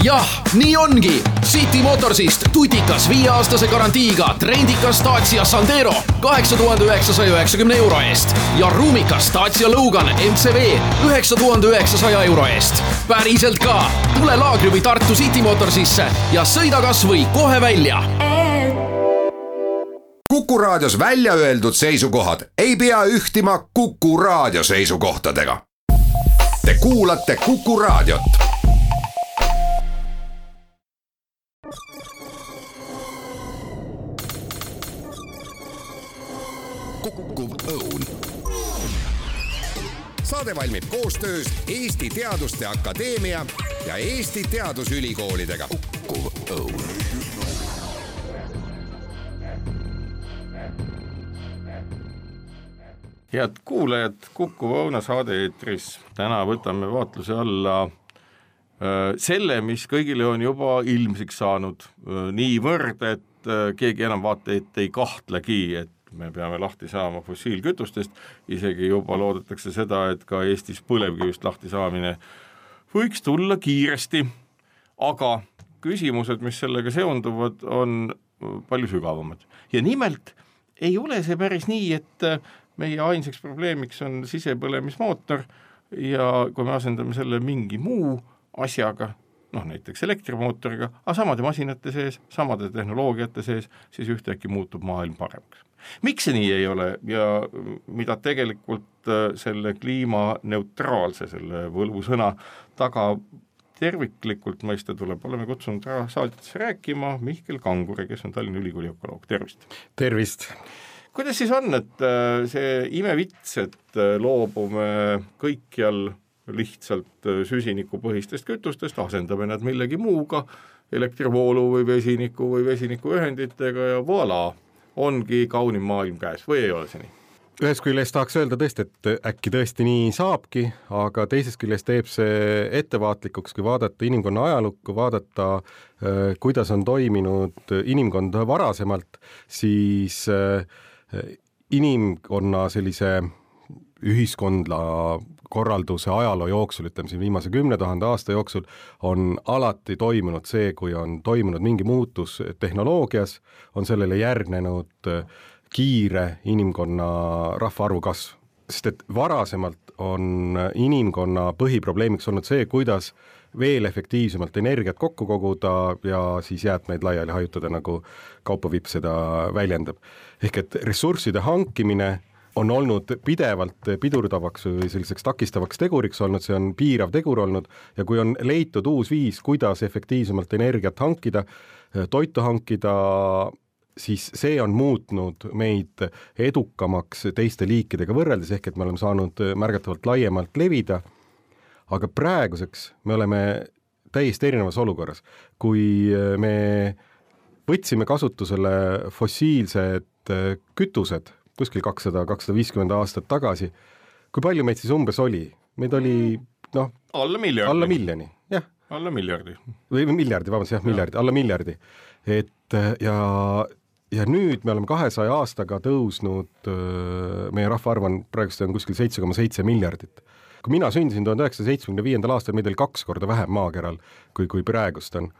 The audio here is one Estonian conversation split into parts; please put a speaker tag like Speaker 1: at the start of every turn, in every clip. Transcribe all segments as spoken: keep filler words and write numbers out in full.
Speaker 1: jah, nii ongi. City Motorsist tutikas viieaastase garantiiga trendikas Dacia Sandero kaheksa tuhande üheksasaja üheksakümne euro eest ja ruumikas Dacia Logan M C V üheksa tuhande üheksasaja euro eest. Päriselt ka. Tule Laagri või Tartu City Motorsisse ja sõida kas või kohe välja.
Speaker 2: Kuku Raadios välja öeldud seisukohad ei pea ühtima Kuku Raadio seisukohtadega. Te kuulate Kuku Raadiot. Kuku Õun. Saade valmib koostöös Eesti Teaduste Akadeemia ja Eesti Teadusülikoolidega. Kuku Õun.
Speaker 3: Head kuulajad, Kuku Õuna saade eetris. Täna võtame vaatluse alla selle, mis kõigile on juba ilmsiks saanud niivõrd, et keegi enam vaata, et ei kahtlegi, et me peame lahti saama fossiilkütustest, isegi juba loodetakse seda, et ka Eestis põlevkivist lahti saamine võiks tulla kiiresti, aga küsimused, mis sellega seonduvad, on palju sügavamad. Ja nimelt ei ole see päris nii, et meie ainsaks probleemiks on sisepõlemismootor ja kui me asendame selle mingi muu asjaga, noh näiteks elektrimootoriga, aga samade masinate sees, samade tehnoloogiate sees, siis ühtäkki muutub maailm paremaks. Miks see nii ei ole ja mida tegelikult selle kliimaneutraalse, selle võlvusõna taga terviklikult mõista tuleb, oleme kutsunud saalitesse rääkima Mihkel Kanguri, kes on Tallinna Ülikooli ökoloog. Tervist!
Speaker 4: Tervist!
Speaker 3: Kuidas siis on, et see imevits, et loobume kõikjal lihtsalt süsinikupõhistest kütustest, asendame nad millegi muuga, elektrivoolu või vesiniku või vesinikuühenditega ja voilà, ongi kaunim maailm käes või ei ole see nii?
Speaker 4: Ühes küljest tahaks öelda tõesti, et äkki tõesti nii saabki, aga teisest küljest teeb see ettevaatlikuks, kui vaadata inimkonna ajalukku, vaadata, kuidas on toiminud inimkond varasemalt, siis inimkonna sellise ühiskondla korralduse ajaloo jooksul, ütleme siin viimase kümne tuhande aasta jooksul, on alati toimunud see, kui on toimunud mingi muutus tehnoloogias, on sellele järgnenud kiire inimkonna rahvaarvu kasv. Sest et varasemalt on inimkonna põhiprobleemiks olnud see, kuidas veel efektiivsemalt energiat kokku koguda ja siis jäätmeid laiali hajutada, nagu Kaupo Vipp seda väljendab. Ehk et ressursside hankimine on olnud pidevalt pidurdavaks või selliseks takistavaks teguriks olnud, see on piirav tegur olnud ja kui on leitud uus viis, kuidas efektiivsemalt energiat hankida, toitu hankida, siis see on muutnud meid edukamaks teiste liikidega võrreldes, ehk et me oleme saanud märgatavalt laiemalt levida, aga praeguseks me oleme täiesti erinevas olukorras. Kui me võtsime kasutusele fossiilsed kütused kuskil kakssada kakssada viiskümmend aastat tagasi, kui palju meid siis umbes oli? Meid oli, noh,
Speaker 3: alla miljardi.
Speaker 4: Alla miljoni, jah.
Speaker 3: Alla miljardi.
Speaker 4: Või miljardi, vabandust, jah, miljardi, alla miljardi. Et ja, ja nüüd me oleme kahesaja aastaga tõusnud, meie rahvaarv on praegust on kuskil seitse koma seitse miljardit. Kui mina sündisin tuhande üheksasaja seitsmekümne viiendal aastal, meid oli kaks korda vähem maakeral, kui, kui praegust on.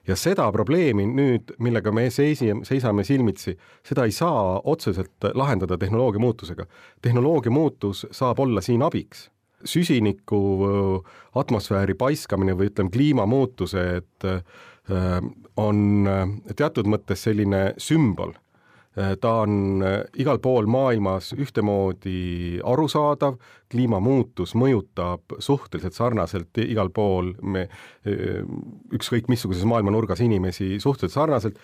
Speaker 4: Ja seda probleemi nüüd, millega me seisame silmitsi, seda ei saa otseselt lahendada tehnoloogia muutusega. Tehnoloogia muutus saab olla siin abiks. Süsiniku atmosfääri paiskamine või ütleme kliimamuutuse, et on teatud mõttes selline sümbol. Ta on igal pool maailmas ühtemoodi arusaadav, kliimamuutus mõjutab suhteliselt sarnaselt igal pool me, ükskõik missuguses maailma nurgas inimesi suhteliselt sarnaselt.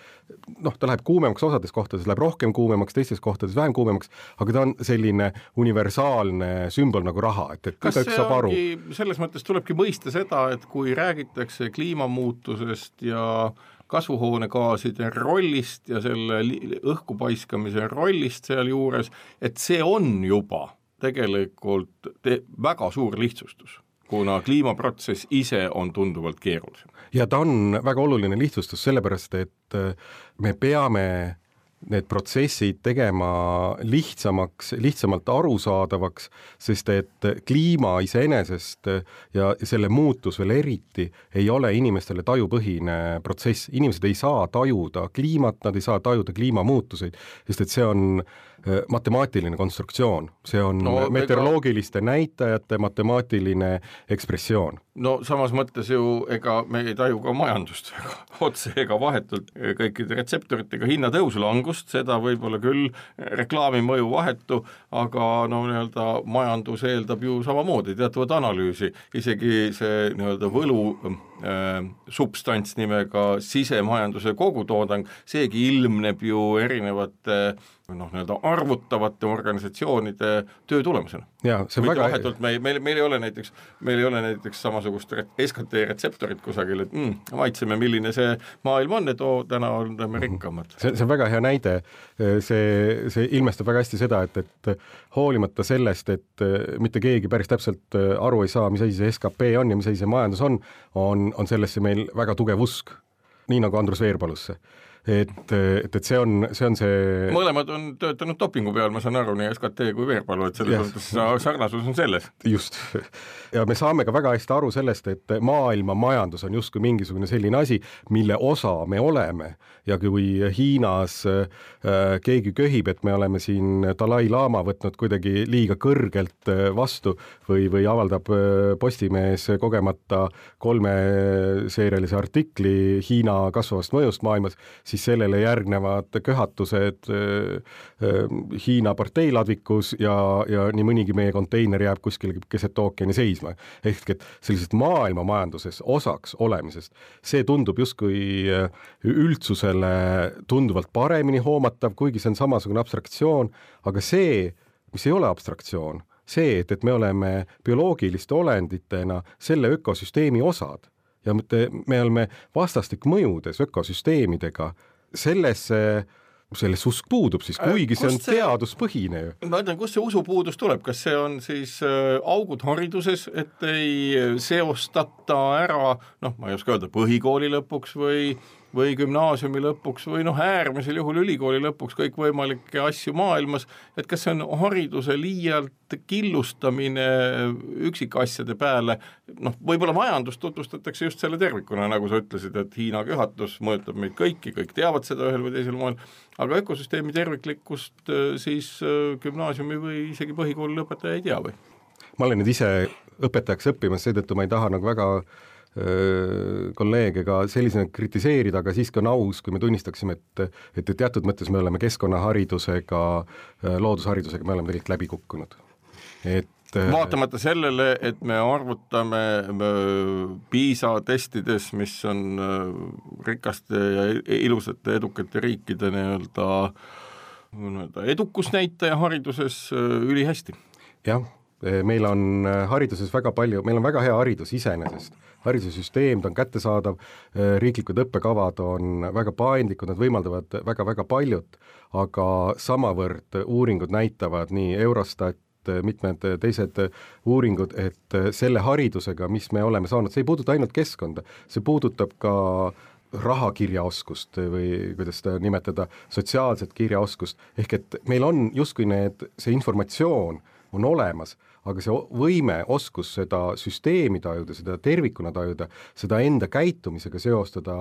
Speaker 4: Noh, ta läheb kuumemaks osades kohtades, läheb rohkem kuumemaks, teistes kohtades vähem kuumemaks, aga ta on selline universaalne sümbol nagu raha. Et, et
Speaker 3: kas see ongi, selles mõttes tulebki mõista seda, et kui räägitakse kliimamuutusest ja kasvuhoonegaaside rollist ja selle õhku paiskamise rollist seal juures, et see on juba tegelikult te- väga suur lihtsustus, kuna kliimaprotsess ise on tunduvalt keerulisem.
Speaker 4: Ja ta on väga oluline lihtsustus sellepärast, et me peame need protsessid tegema lihtsamaks, lihtsamalt arusaadavaks, sest et kliima iseenesest ja selle muutus veel eriti ei ole inimestele tajupõhine protsess. Inimesed ei saa tajuda kliimat, nad ei saa tajuda kliimamuutuseid, sest et see on matemaatiline konstruktsioon, see on no, meteoroloogiliste ega... näitajate matemaatiline ekspressioon.
Speaker 3: No samas mõttes ju, ega me ei taju ka majandust ega, otse ega vahetult kõikide retseptoritega hinnatõusu langust, seda võib-olla küll reklaami mõju vahetu, aga no nii-öelda majandus eeldab ju samamoodi teatavat analüüsi, isegi see nii-öelda võlu äh, substants nimega sisemajanduse kogutoodang, seegi ilmneb ju erinevate noh, nii-öelda arvutavate organisatsioonide töö tulemusena.
Speaker 4: Ja, see väga...
Speaker 3: vahetult, meil, meil, meil ei ole näiteks, meil ei ole näiteks samasugust S K T retseptorit kusagil, et mm, maitseme, milline see maailm on, et oo, täna oleme rikkamad.
Speaker 4: See, see on väga hea näide, see, see ilmestab väga hästi seda, et, et hoolimata sellest, et mitte keegi päris täpselt aru ei saa, mis asi see S K P on ja mis asi see majandus on, on, on sellesse meil väga tugev usk, nii nagu Andrus Veerpalusse. Et, et, et see on see, on see...
Speaker 3: mõlemad on töötanud dopingu peal, ma saan aru, nii S K T kui Veerpalu, et selles yes. sarnasus on selles.
Speaker 4: Just. Ja me saame ka väga hästi aru sellest, et maailma majandus on justkui mingisugune selline asi, mille osa me oleme. Ja kui Hiinas äh, keegi köhib, et me oleme siin Dalai Lama võtnud kuidagi liiga kõrgelt vastu või, või avaldab Postimees kogemata kolmeseerialise artikli Hiina kasvavast mõjust maailmas, siis sellele järgnevad köhatused Hiina parteiladvikus ja, ja nii mõnigi meie konteiner jääb kuskil keset ookeani seisma. Ehk et sellisest maailma majanduses osaks olemisest, see tundub justkui üldsusele tunduvalt paremini hoomatav, kuigi see on samasugune abstraktsioon, aga see, mis ei ole abstraktsioon, see, et, et me oleme bioloogiliste olenditena selle ökosüsteemi osad, ja me oleme vastastik mõjudes ökosüsteemidega, sellesse, selles usk puudub siis, kuigi see on see, teaduspõhine.
Speaker 3: Ma ütlen, kus see usupuudus tuleb, kas see on siis äh, augud hariduses, et ei seostata ära, noh, ma ei oska öelda, põhikooli lõpuks või või gümnaasiumi lõpuks või noh, äärmisel juhul ülikooli lõpuks kõik võimalikke asju maailmas, et kas see on hariduse liialt killustamine üksikasjade peale, noh, võib-olla majandust tutvustatakse just selle tervikuna, nagu sa ütlesid, et Hiina köhatus mõjutab meid kõiki, kõik teavad seda ühel või teisel moel, aga ökosüsteemi terviklikkust siis gümnaasiumi või isegi põhikooli lõpetaja ei tea või?
Speaker 4: Ma olen nüüd ise õpetajaks õppimas, seetõttu ma ei taha nagu väga kolleegega sellisena kritiseerida, aga siiski on aus, kui me tunnistaksime, et, et teatud mõttes me oleme keskkonnaharidusega, loodusharidusega, me oleme tegelikult läbi kukkunud. Et
Speaker 3: vaatamata sellele, et me arvutame PISA testides, mis on rikaste ja ilusate edukate riikide nii-öelda, nii-öelda edukusnäitaja hariduses ülihästi.
Speaker 4: Jah, meil on hariduses väga palju, meil on väga hea haridus iseenesest. Haridussüsteem, ta on kättesaadav, riiklikud õppekavad on väga paindlikud, nad võimaldavad väga-väga paljut, aga samavõrd uuringud näitavad nii Eurostat, mitmed teised uuringud, et selle haridusega, mis me oleme saanud, see ei puuduta ainult keskkonda, see puudutab ka rahakirjaoskust või kuidas seda nimetada, sotsiaalset kirjaoskust, ehk et meil on justkui need, see informatsioon on olemas, aga see võime, oskus seda süsteemi tajuda, seda tervikuna tajuda, seda enda käitumisega seostada,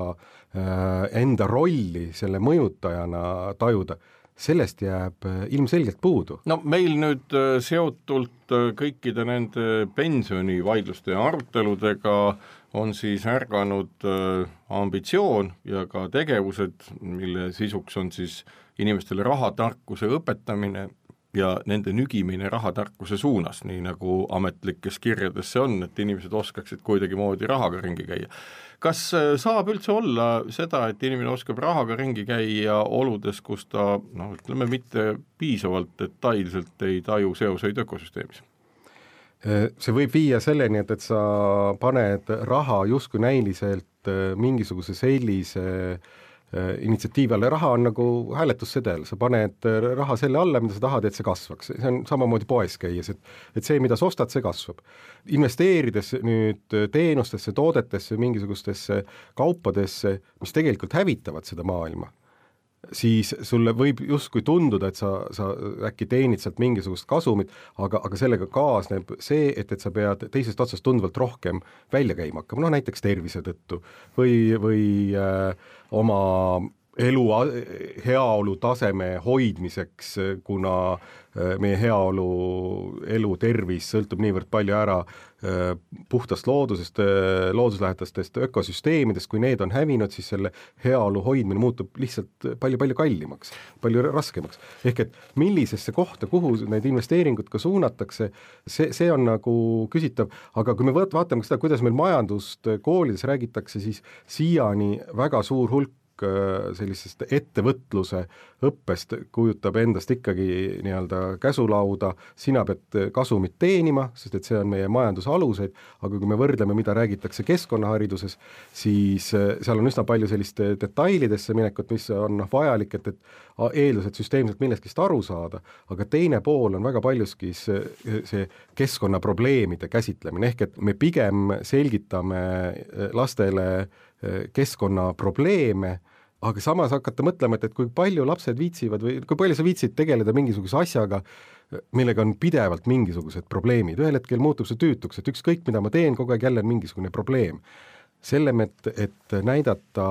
Speaker 4: enda rolli selle mõjutajana tajuda, sellest jääb ilmselgelt puudu.
Speaker 3: No meil nüüd seotult kõikide nende pensionivaidluste ja aruteludega on siis ärganud ambitsioon ja ka tegevused, mille sisuks on siis inimestele rahatarkuse õpetamine ja nende nügimine rahatarkuse suunas, nii nagu ametlikes kirjades see on, et inimesed oskaksid kuidagi moodi rahaga ringi käia. Kas saab üldse olla seda, et inimene oskab rahaga ringi käia oludes, kus ta, noh, ütleme, mitte piisavalt detailselt ei taju seoseid ökosüsteemis?
Speaker 4: See võib viia selleni, et, et sa paned raha justkui näiliselt mingisuguse sellise initsiatiivi alla. Raha on nagu hääletussedel, sa paned raha selle alla, mida sa tahad, et see kasvaks. See on samamoodi poes käies, et, et see, mida sa ostad, see kasvab. Investeerides nüüd teenustesse, toodetesse, mingisugustesse kaupadesse, mis tegelikult hävitavad seda maailma, siis sulle võib justkui tunduda, et sa, sa äkki teenid sealt mingisugust kasumit, aga, aga sellega kaasneb see, et, et sa pead teisest otsast tunduvalt rohkem välja käima hakkama, no näiteks tervise tõttu või, või äh, oma elu, heaolu taseme hoidmiseks, kuna meie heaolu, elu, tervis sõltub niivõrd palju ära puhtast loodusest, looduslähetastest ökosüsteemidest, kui need on hävinud, siis selle heaolu hoidmine muutub lihtsalt palju-palju kallimaks, palju raskemaks. Ehk et millisesse kohta, kuhu need investeeringud ka suunatakse, see, see on nagu küsitav, aga kui me vaatame seda, kuidas meil majandust koolides räägitakse, siis siiani väga suur hulk sellisest ettevõtluse õppest kujutab endast ikkagi nii-öelda käsulauda, sina pead kasumit teenima, sest et see on meie majanduse aluseid, aga kui me võrdleme, mida räägitakse keskkonnahariduses, siis seal on üsna palju sellist detailidesse minekut, mis on vajalik, et, et eeldused süsteemselt millestki aru saada, aga teine pool on väga paljuski see keskkonnaprobleemide käsitlemine, ehk et me pigem selgitame lastele keskkonnaprobleeme, aga samas hakata mõtlema, et, et kui palju lapsed viitsivad või kui palju sa viitsid tegeleda mingisuguse asjaga, millega on pidevalt mingisugused probleemid. Ühel hetkel muutub see tüütuks, et ükskõik, mida ma teen, kogu aeg jälle on mingisugune probleem. Sellem, et, et näidata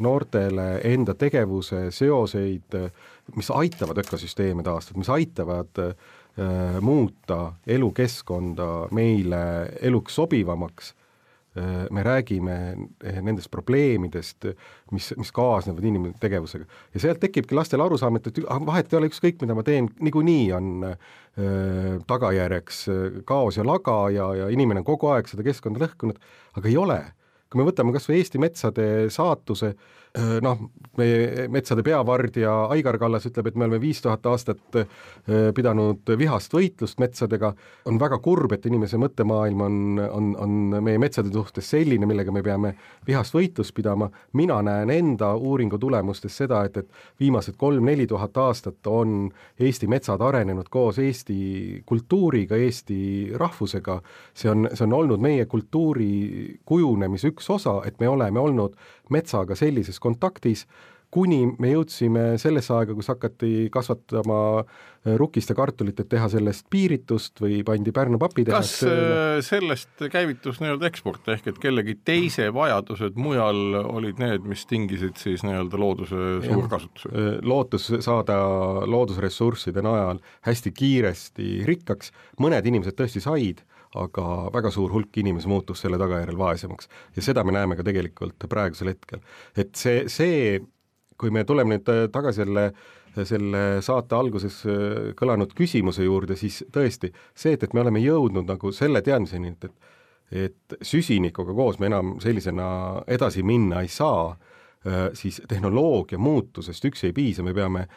Speaker 4: noortele enda tegevuse seoseid, mis aitavad ökosüsteeme taastada, mis aitavad äh, muuta elukeskkonda meile eluks sobivamaks, me räägime nendest probleemidest, mis, mis kaasnevad inimese tegevusega. Ja sealt tekibki lastel arusaam, et vahet ei ole ükskõik, mida ma teen, niikuinii on äh, tagajärjeks kaos ja laga ja, ja inimene on kogu aeg seda keskkonda lõhkunud, aga ei ole. Kui me võtame kas või Eesti metsade saatuse, noh, meie metsade peavardja Aigar Kallas ütleb, et me oleme viis tuhat aastat pidanud vihast võitlust metsadega, on väga kurb, et inimese mõttemaailm on, on, on meie metsade suhtes selline, millega me peame vihast võitlust pidama. Mina näen enda uuringu tulemustes seda, et, et viimased kolm-neli tuhat aastat on Eesti metsad arenenud koos Eesti kultuuriga, Eesti rahvusega. See on, see on olnud meie kultuuri kujunemis üks osa, et me oleme olnud metsaga sellises kontaktis, kuni me jõudsime sellesse aega, kus hakati kasvatama rukist ja kartulit, et teha sellest piiritust või pandi Pärnu papitehas.
Speaker 3: Kas sellest käivitus nii-öelda eksport, ehk et kellegi teise vajadused mujal olid need, mis tingisid siis nii-öelda looduse suurkasutuse?
Speaker 4: Lootus saada loodusressursside najal hästi kiiresti rikkaks, mõned inimesed tõesti said, aga väga suur hulk inimesi muutus selle tagajärjel vaesemaks. Ja seda me näeme ka tegelikult praegusel hetkel. Et see, see kui me tuleme nüüd tagasi selle, selle saate alguses kõlanud küsimuse juurde, siis tõesti see, et, et me oleme jõudnud nagu selle teadmiseni, et, et süsinikuga koos me enam sellisena edasi minna ei saa, siis tehnoloogia muutusest üks ei piisa, me peame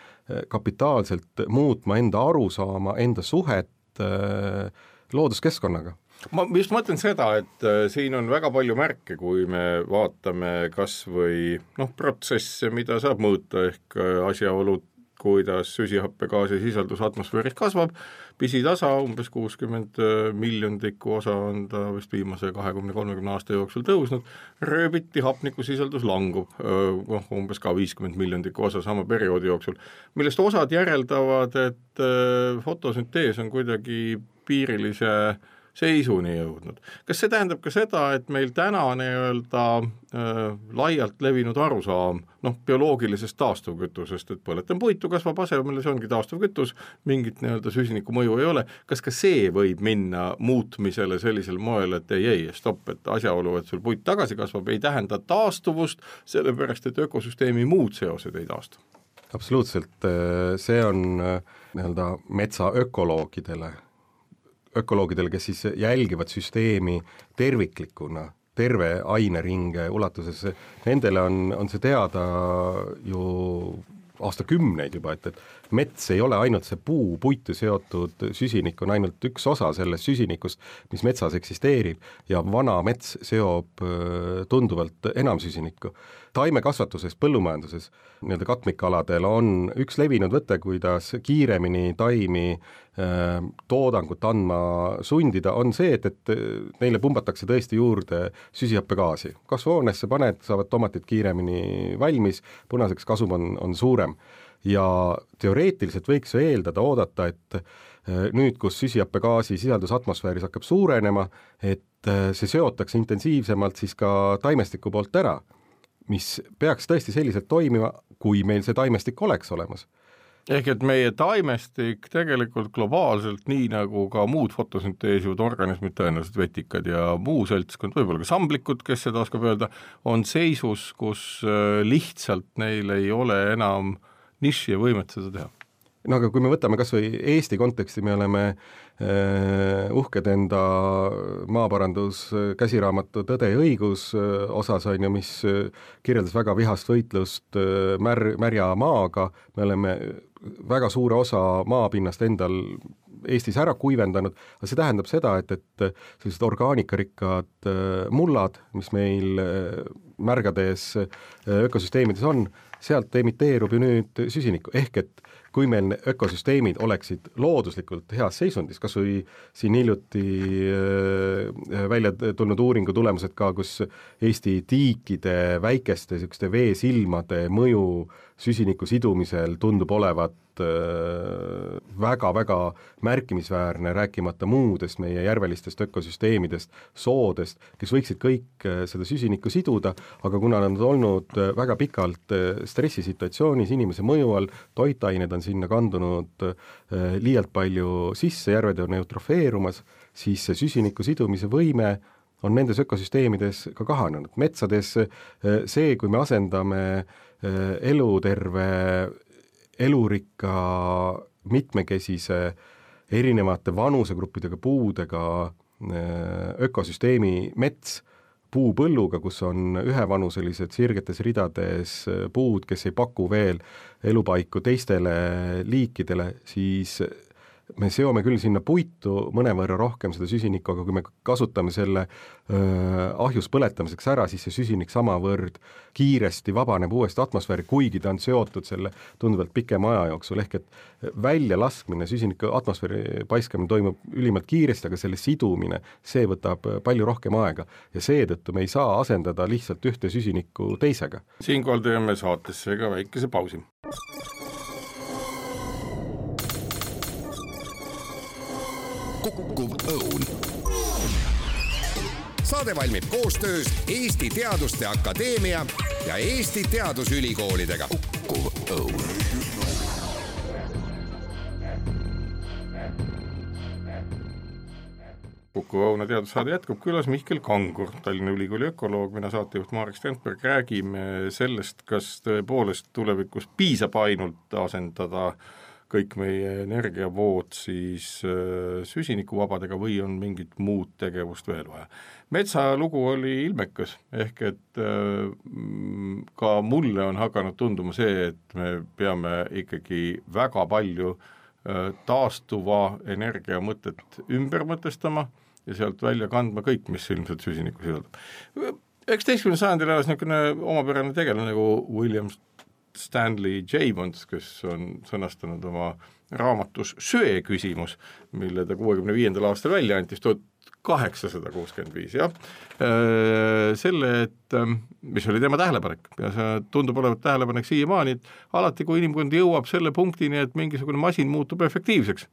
Speaker 4: kapitaalselt muutma enda arusaama, enda suhet looduskeskkonnaga.
Speaker 3: Ma just mõtlen seda, et siin on väga palju märke, kui me vaatame kas või noh, protsesse, mida saab mõõta, ehk asjaolud, kuidas süsihappegaasi sisaldus atmosfääris kasvab, pisitasa, umbes kuuskümmend miljondikku osa on ta vist viimase kahekümne kolmekümne aasta jooksul tõusnud, rööbiti hapniku sisaldus langub, noh, umbes ka viiskümmend miljondikku osa sama perioodi jooksul, millest osad järeldavad, et fotosüntees on kuidagi piirilise seisuni jõudnud. Kas see tähendab ka seda, et meil täna nii-öelda äh, laialt levinud arusaam noh, bioloogilisest taastuvkütusest, et põletan puitu, kasvab asemel, see ongi taastuvkütus, mingit nii-öelda süsiniku mõju ei ole. Kas ka see võib minna muutmisele sellisel moel, et ei, ei, stopp, et asjaolu, et sul puit tagasi kasvab, ei tähenda taastuvust, sellepärast, et ökosüsteemi muud seosed ei taastu?
Speaker 4: Absoluutselt, see on nii-öelda metsa ökoloogidele ökoloogidele, kes siis jälgivad süsteemi terviklikuna, terve aineringe ulatuses, nendele on, on see teada ju aastakümneid juba, et, et mets ei ole ainult see puu, puitu seotud süsinik on ainult üks osa sellest süsinikust, mis metsas eksisteerib ja vana mets seob tunduvalt enam süsinikku. Taimekasvatuses, põllumajanduses, nii-öelda katmikaladel on üks levinud võte, kuidas kiiremini taimi äh, toodangut andma sundida, on see, et, et neile pumbatakse tõesti juurde süsihappegaasi. Kasvuhoonesse paned, saavad tomatid kiiremini valmis, punaseks kasum on, on suurem. Ja teoreetiliselt võiks eeldada, oodata, et äh, nüüd, kus süsihappegaasi sisaldus atmosfääris hakkab suurenema, et äh, see seotakse intensiivsemalt siis ka taimestiku poolt ära, mis peaks tõesti selliselt toimima, kui meil see taimestik oleks olemas.
Speaker 3: Ehk et meie taimestik tegelikult globaalselt, nii nagu ka muud fotosünteesivad organismid, tõenäoliselt vetikad ja muu seltskond, võib-olla ka samblikud, kes seda oskab öelda, on seisus, kus lihtsalt neil ei ole enam niši ja võimet seda teha.
Speaker 4: No aga kui me võtame kas või Eesti konteksti, me oleme äh, uhked enda maaparandus käsiraamatu Tõde ja õigus äh, osas on ju, mis äh, kirjeldas väga vihast võitlust äh, mär, märja maaga, me oleme väga suure osa maapinnast endal Eestis ära kuivendanud, aga see tähendab seda, et, et sellised orgaanikarikkad äh, mullad, mis meil äh, märgades äh, ökosüsteemides on, sealt emiteerub ju nüüd süsinikku, ehk et kui meil ökosüsteemid oleksid looduslikult heas seisundis, kas või siin hiljuti äh, välja tulnud uuringu tulemused ka, kus Eesti tiikide väikeste sükste veesilmade mõju süsiniku sidumisel tundub olevat väga-väga märkimisväärne, rääkimata muudest meie järvelistest ökosüsteemidest, soodest, kes võiksid kõik seda süsinikku siduda, aga kuna nad on olnud väga pikalt stressisituatsioonis inimese mõju all, toitained on sinna kandunud liialt palju sisse, järved on eutrofeerumas, siis see süsiniku sidumise võime on nendes ökosüsteemides ka kahanenud. Metsades see, kui me asendame eluterve elurikka mitmekesise erinevate vanusegruppidega puudega ökosüsteemi mets puupõlluga, kus on ühevanuselised sirgetes ridades puud, kes ei paku veel elupaiku teistele liikidele, siis me seome küll sinna puitu mõnevõrra rohkem seda süsinikku, aga kui me kasutame selle öö, ahjus põletamiseks ära, siis see süsinik samavõrd kiiresti vabaneb uuesti atmosfääri, kuigi ta on seotud selle tunduvalt pikema aja jooksul, ehk et välja laskmine, süsiniku atmosfääri paiskamine toimub ülimalt kiiresti, aga selle sidumine, see võtab palju rohkem aega ja seetõttu me ei saa asendada lihtsalt ühte süsinikku teisega.
Speaker 3: Siinkohal teeme saatesse ka väikese pausi.
Speaker 2: Kukkuv õun. Saade valmib koostöös Eesti Teaduste Akadeemia ja Eesti Teadusülikoolidega. Kukkuv õun.
Speaker 3: Kukkuv õuna teadussaade jätkub, külas Mihkel Kangur, Tallinna Ülikooli ökoloog, mina saatejuht Marek Strandberg, räägime sellest, kas tõepoolest tulevikus piisab ainult asendada kõik meie energiavood siis süsinikuvabadega või on mingit muud tegevust veel vaja. Metsa lugu oli ilmekas, ehk et ka mulle on hakanud tunduma see, et me peame ikkagi väga palju taastuva energia mõtet ümber mõtestama ja sealt välja kandma kõik, mis ilmselt süsinikku sisaldab. üheksateistkümnendal sajandil elas niisugune omapärane tegelane nagu William Stanley Jevons, kes on sõnastanud oma raamatus Söe küsimus, mille ta kuuekümne viiendal aastal välja antis, tuhat kaheksasada kuuskümmend viis, jah. Selle, et mis oli tema tähelepanek ja see tundub olevat tähelepanek siiamaani, et alati, kui inimkond jõuab selle punktini, et mingisugune masin muutub efektiivseks,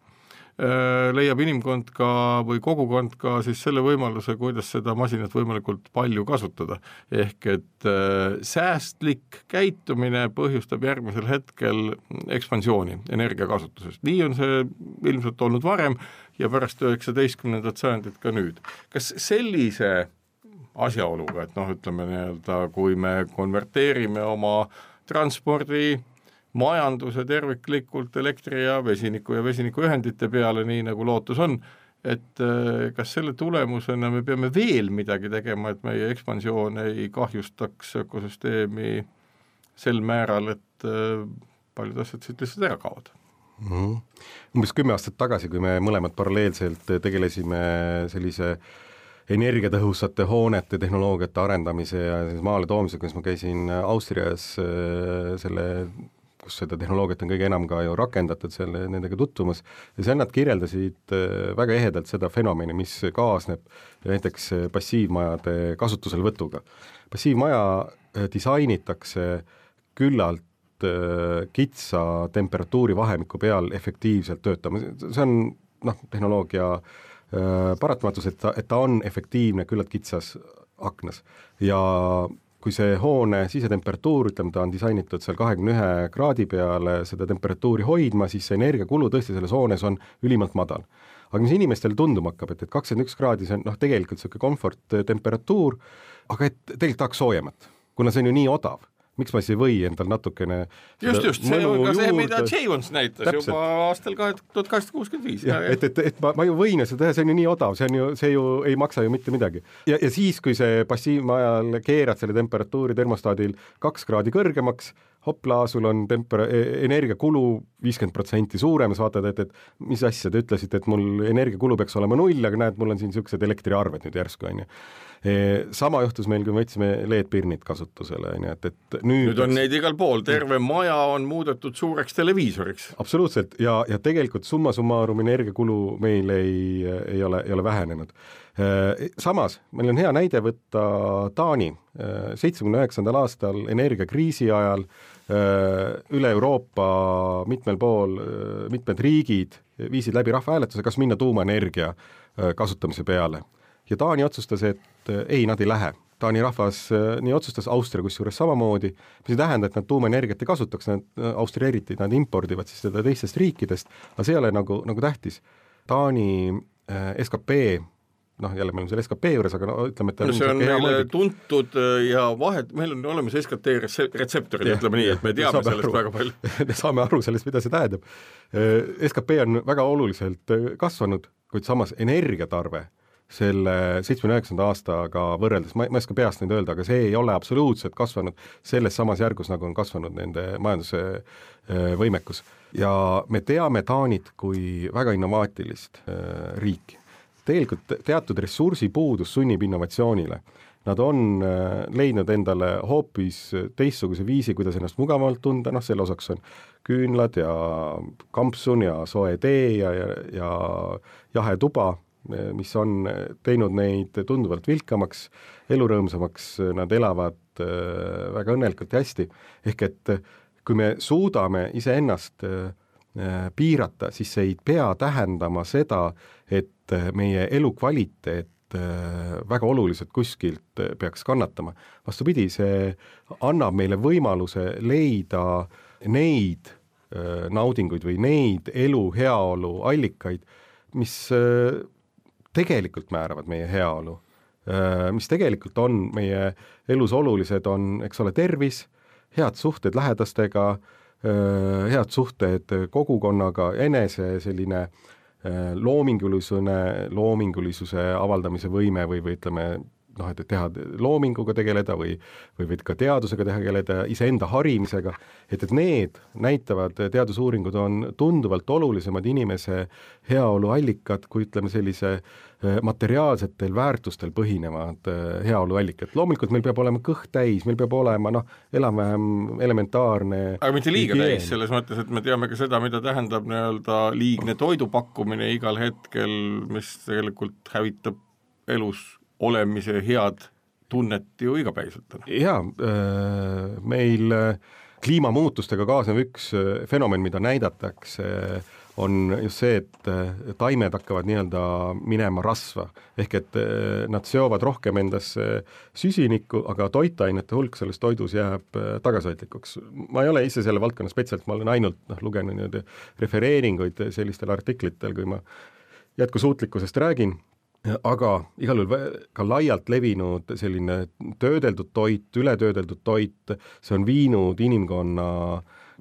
Speaker 3: leiab inimkond ka või kogukond ka siis selle võimaluse, kuidas seda masinat võimalikult palju kasutada. Ehk et äh, säästlik käitumine põhjustab järgmisel hetkel ekspansiooni energiakasutusest. Nii on see ilmselt olnud varem ja pärast üheksateistkümnendat sajandit ka nüüd. Kas sellise asjaoluga, et noh, ütleme nii-öelda, kui me konverteerime oma transpordi majanduse terviklikult elektri ja vesiniku ja vesinikuühendite peale, nii nagu lootus on, et kas selle tulemusena me peame veel midagi tegema, et meie ekspansioon ei kahjustaks ökosüsteemi sel määral, et paljud asjad siit lihtsalt ära kaovad.
Speaker 4: Mm-hmm. Umbes kümme aastat tagasi, kui me mõlemad paralleelselt tegelesime sellise energiatõhusate hoonete tehnoloogiate arendamise ja maale toomisega, kus ma käisin Austrias selle, kus seda tehnoloogiat on kõige enam ka ju rakendatud selle, nendega tutvumas ja seal nad kirjeldasid väga ehedalt seda fenomeni, mis kaasneb näiteks passiivmajade kasutuselvõtuga. Passiivmaja disainitakse küllalt kitsa temperatuuri vahemiku peal efektiivselt töötama. See on noh, tehnoloogia paratamatus, et ta, et ta on efektiivne küllalt kitsas aknas ja kui see hoone sisetemperatuur, ütleme, ta on disainitud seal kahekümne ühe kraadi peale seda temperatuuri hoidma, siis see energiakulu tõesti selles hoones on ülimalt madal. Aga mis inimestele tunduma hakkab, et, et kakskümmend üks kraadi, see on noh, tegelikult selline komfort temperatuur, aga et tegelikult tahaks soojemat, kuna see on ju nii odav. Miks ma siis ei või endal natukene
Speaker 3: just, just, see on ka see, mida Jayons näitas täpselt. Juba aastal tuhat kaheksasada kuuskümmend viis.
Speaker 4: Ja, et, et, et ma, ma ju võin seda teha, see on ju nii odav, see, on ju, see ju ei maksa ju mitte midagi. Ja, ja siis, kui see passiivmajal keerad selle temperatuuri termostaadil kaks kraadi kõrgemaks, hopla, sul on temper- energiakulu viiskümmend protsenti suurem, sa vaatad, et, et mis asja te ütlesite, et mul energiakulu peaks olema null, aga näed, mul on siin niisugused elektriarved nüüd järsku, on ju. Sama juhtus meil, kui me võtsime L E D-pirnid kasutusele, et, et nüüd,
Speaker 3: nüüd on neid igal pool, terve maja on muudetud suureks televiisoriks.
Speaker 4: Absoluutselt, ja, ja tegelikult summa summarum energiakulu meil ei, ei, ole, ei ole vähenenud. Samas, meil on hea näide võtta Taani. seitsmekümne üheksandal aastal energiakriisi ajal üle Euroopa mitmel pool, mitmed riigid viisid läbi rahvahääletuse, kas minna tuumaenergia kasutamise peale. Ja Taani otsustas, et ei, nad ei lähe. Taani rahvas nii otsustas, Austria kusjuures samamoodi, mis ei tähenda, et nad tuumaenergiat ei kasutaks, nad Austria eriti, nad impordivad siis seda teistest riikidest, aga see ei ole nagu, nagu tähtis. Taani S K P, noh jälle me oleme selle S K P juures, aga no, ütleme, et
Speaker 3: no, see on meile mõeldik. Tuntud ja vahet, meil on olemas S K T retseptorid, ütleme nii, et me teame sellest aru, väga palju.
Speaker 4: Me saame aru sellest, mida see tähendab. S K P on väga oluliselt kasvanud, kuid samas energiatarve selle seitsmekümne üheksanda aastaga võrreldes, ma, ma ei oska peast neid öelda, aga see ei ole absoluutselt kasvanud selles samas järgus, nagu on kasvanud nende majanduse võimekus. Ja me teame Taanit kui väga innovaatilist riiki. Tegelikult teatud ressursipuudus sunnib innovatsioonile. Nad on leidnud endale hoopis teistsuguse viisi, kuidas ennast mugavalt tunda, noh selle osaks on küünlad ja kampsun ja soe tee ja, ja, ja jahe tuba, mis on teinud neid tunduvalt vilkamaks, elurõõmsamaks, nad elavad väga õnnelikult ja hästi. Ehk et kui me suudame iseennast piirata, siis see ei pea tähendama seda, et meie elukvaliteet väga oluliselt kuskilt peaks kannatama. Vastupidi, see annab meile võimaluse leida neid naudinguid või neid elu heaolu allikaid, mis tegelikult määravad meie heaolu, mis tegelikult on meie elus olulised, on, eks ole, tervis, head suhted lähedastega, head suhted kogukonnaga, enese selline loomingulisune, loomingulisuse avaldamise võime või, või ütleme, noh, et teha loominguga tegeleda või, või, või ka teadusega tegeleda, iseenda harimisega, et, et need näitavad, teadusuuringud on tunduvalt olulisemad inimese heaolu allikad, kui ütleme sellise materiaalsetel väärtustel põhinevad heaolu allikad. Loomulikult meil peab olema kõht täis, meil peab olema noh, enam-vähem elementaarne
Speaker 3: aga mitte liiga higien. Täis, selles mõttes, et me teame ka seda, mida tähendab nii-öelda liigne toidupakkumine igal hetkel, mis tegelikult hävitab elus olemise head tunnet ju igapäiselt.
Speaker 4: Jaa, meil kliimamuutustega kaasnev üks fenomen, mida näidatakse, on just see, et taimed hakkavad nii-öelda minema rasva. Ehk et nad seovad rohkem endasse süsinikku, aga toitainete hulk selles toidus jääb tagasihoidlikuks. Ma ei ole ise selle valdkonna spetsialt, ma olen ainult noh, lugenud refereeringuid sellistel artiklitel, kui ma jätkusuutlikkusest räägin. Aga igal juhul ka laialt levinud selline töödeldud toit, ületöödeldud toit, see on viinud inimkonna,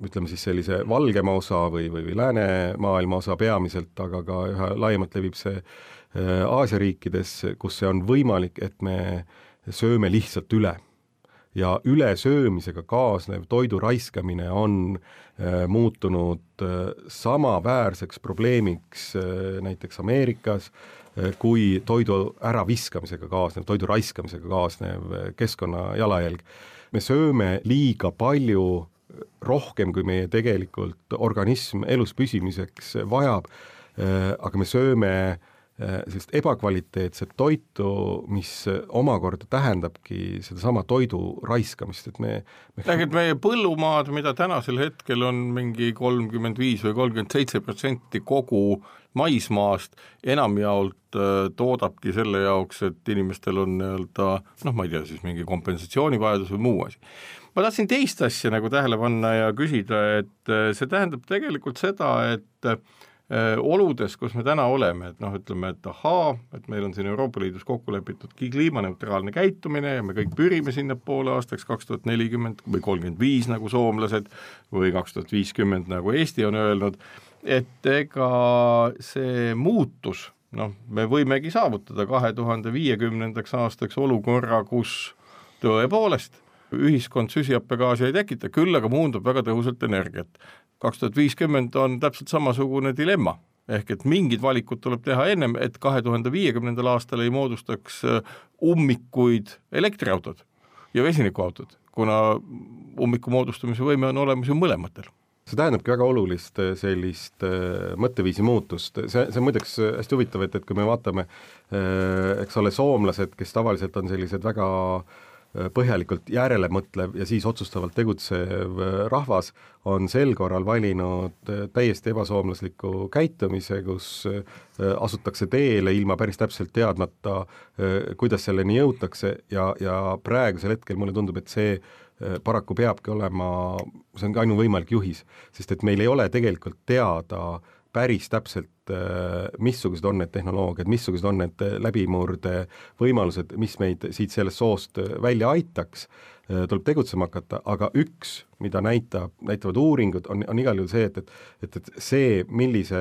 Speaker 4: ütleme siis sellise valgema osa või, või, või läänemaailma osa peamiselt, aga ka üha laiemalt levib see Aasia riikides, kus see on võimalik, et me sööme lihtsalt üle. ja ülesöömisega kaasnev toidu raiskamine on äh, muutunud äh, samaväärseks probleemiks äh, näiteks Ameerikas äh, kui toidu äraviskamisega kaasnev, toidu raiskamisega kaasnev äh, keskkonna jalajälg. Me sööme liiga palju rohkem, kui meie tegelikult organism elus püsimiseks vajab, aga me sööme sellist ebakvaliteetset toitu, mis omakorda tähendabki sedasama toidu raiskamist, et me... me...
Speaker 3: Lähed meie põllumaad, mida tänasel hetkel on mingi kolmkümmend viis või kolmkümmend seitse protsenti kogu maismaast, enamjaolt toodabki selle jaoks, et inimestel on nii-öelda, noh ma ei tea, siis mingi kompensatsioonivajadus või muu asi. Ma tahtsin teist asja nagu tähele panna ja küsida, et see tähendab tegelikult seda, et oludes, kus me täna oleme, et noh, ütleme, et ahaa, et meil on siin Euroopa Liidus kokku lepitud kliimaneutraalne käitumine ja me kõik pürime sinna poole aastaks kaks tuhat nelikümmend või kolmkümmend viis nagu soomlased või kaks tuhat viiskümmend nagu Eesti on öelnud, et ega see muutus, noh, me võimegi saavutada kahe tuhande viiekümnendaks aastaks olukorra, kus tõepoolest ühiskond süsihappegaasi ei tekita, küll aga muundub väga tõhusalt energiat. kaks tuhat viiskümmend on täpselt samasugune dilemma, ehk et mingid valikud tuleb teha ennem, et kahe tuhande viiekümnendal aastal ei moodustaks ummikuid elektriautod ja vesinikuautod, kuna ummiku moodustamise võime on olemas ju mõlematel.
Speaker 4: See tähendabki väga olulist sellist mõtteviisi muutust. See, see on muideks hästi huvitav, et, et kui me vaatame, eks ole, soomlased, kes tavaliselt on sellised väga põhjalikult järele mõtlev ja siis otsustavalt tegutsev rahvas, on sel korral valinud täiesti ebasoomlasliku käitumise, kus asutakse teele ilma päris täpselt teadmata, kuidas selleni jõutakse ja, ja praegusel hetkel mulle tundub, et see paraku peabki olema, see on ka ainuvõimalik juhis, sest et meil ei ole tegelikult teada päris täpselt, missugused on need tehnoloogiad, missugused on need läbimurde võimalused, mis meid siit sellest soost välja aitaks, tuleb tegutsema hakata, aga üks, mida näitab, näitavad uuringud, on, on igal juhul see, et, et, et see, millise,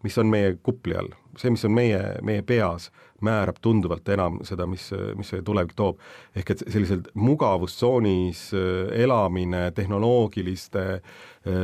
Speaker 4: mis on meie kupli all, see, mis on meie, meie peas, määrab tunduvalt enam seda, mis, mis see tulevik toob. Ehk et sellised mugavustsoonis elamine tehnoloogiliste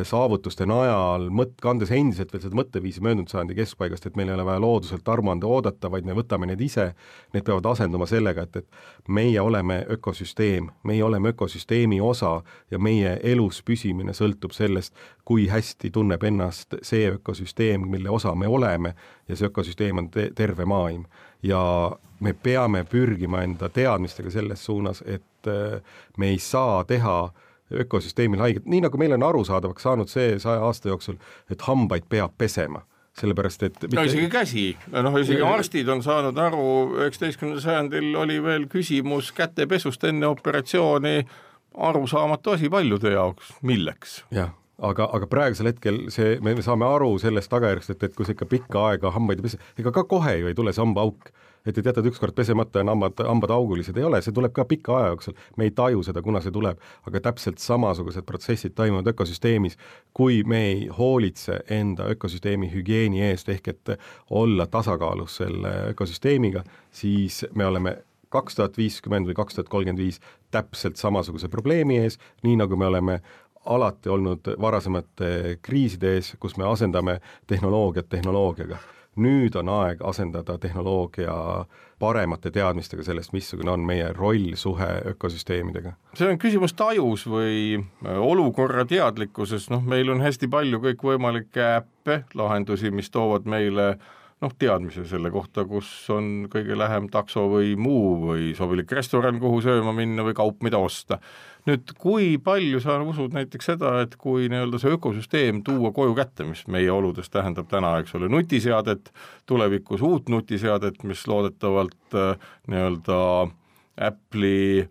Speaker 4: saavutuste najal, mõt, kandes endiselt veel seda mõtteviisi möödunud sajandi keskpaigast, et meil ei ole vaja looduselt armuande oodata, vaid me võtame need ise, need peavad asenduma sellega, et, et meie oleme ökosüsteem, meie oleme ökosüsteemi osa ja meie elus püsimine sõltub sellest, kui hästi tunneb ennast see ökosüsteem, mille osa me oleme ja see ökosüsteem on te- terve maailm. Ja me peame pürgima enda teadmistega selles suunas, et me ei saa teha ökosüsteemil haiget, nii nagu meil on arusaadavaks saanud see saja aasta jooksul, et hambaid peab pesema. Sellepärast, et...
Speaker 3: No isegi käsi, noh isegi arstid on saanud aru, üheksateistkümnendal sajandil oli veel küsimus kätepesust enne operatsiooni arusaamatu asi paljude jaoks, milleks?
Speaker 4: Jah. Aga, aga praegusel hetkel see, me saame aru sellest tagajärgst, et, et kui see ikka pikka aega hambaid ei pese, ega ka kohe ju ei tule see hambaauk, et et jätad ükskord pesemata ja hambad, hambad augulised ei ole, see tuleb ka pika aja jooksul, me ei taju seda, kuna see tuleb, aga täpselt samasugused protsessid toimuvad ökosüsteemis, kui me ei hoolitse enda ökosüsteemi hügieeni eest, ehk et olla tasakaalus selle ökosüsteemiga, siis me oleme kaks tuhat viiskümmend või kaks tuhat kolmkümmend viis täpselt samasuguse probleemi ees, nii nagu me oleme alati olnud varasemate kriiside ees, kus me asendame tehnoloogiat tehnoloogiaga. Nüüd on aeg asendada tehnoloogia paremate teadmistega sellest, missugune on meie roll suhe ökosüsteemidega.
Speaker 3: See on küsimus tajus või olukorra teadlikkuses, noh meil on hästi palju kõik võimalikke äppe, lahendusi, mis toovad meile noh, teadmise selle kohta, kus on kõige lähem takso või muu või sobilik restoran, kuhu sööma minna või kaup, mida osta. Nüüd, kui palju sa usud näiteks seda, et kui nii-öelda see ökosüsteem tuua koju kätte, mis meie oludes tähendab täna, eks ole, nutiseadet, tulevikus uut nutiseadet, mis loodetavalt nii-öelda Apple'i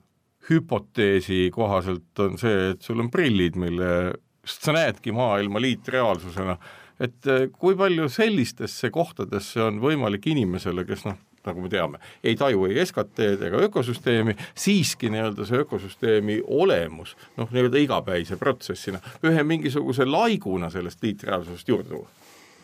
Speaker 3: hüpoteesi kohaselt on see, et sul on prillid, mille sa näedki maailma liitreaalsusena, et kui palju sellistesse kohtadesse on võimalik inimesele, kes noh, nagu me teame, ei taju ei S K T-d ega ökosüsteemi, siiski nii-öelda see ökosüsteemi olemus, noh nii-öelda igapäise protsessina, ühe mingisuguse laiguna sellest liitreaalsusest juurde tuua.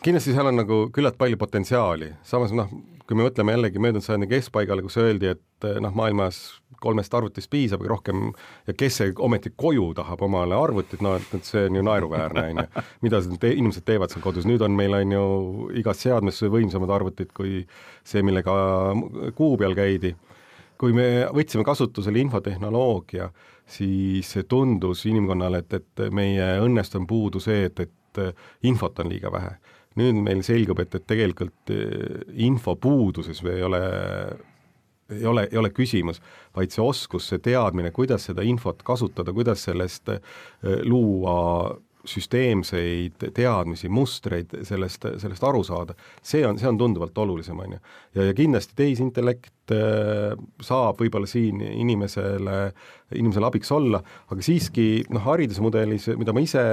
Speaker 4: Kindlasti seal on nagu küllalt palju potentsiaali, samas noh, kui me mõtleme jällegi möödunud sajandi keskpaigale, kus öeldi, et noh, maailmas kolmest arvutist piisab rohkem ja kes see ometi koju tahab omale arvutit, no et see on ju naeruväärne, on ju. Mida te, inimesed teevad seal kodus, nüüd on meil on ju igas seadmes võimsamad arvutid kui see, millega kuu peal käidi. Kui me võtsime kasutusele infotehnoloogia, siis tundus inimkonnale, et, et meie õnnest on puudu see, et, et infot on liiga vähe. Nüüd meil selgub, et, et tegelikult info puuduses ei ole, ei, ole, ei ole küsimus, vaid see oskus, see teadmine, kuidas seda infot kasutada, kuidas sellest luua süsteemseid teadmisi, mustreid, sellest, sellest aru saada, see on, see on tunduvalt olulisem, on ju. Ja, ja kindlasti tehisintellekt saab võib-olla siin inimesele, inimesele abiks olla, aga siiski noh, haridusmudelis, mida ma ise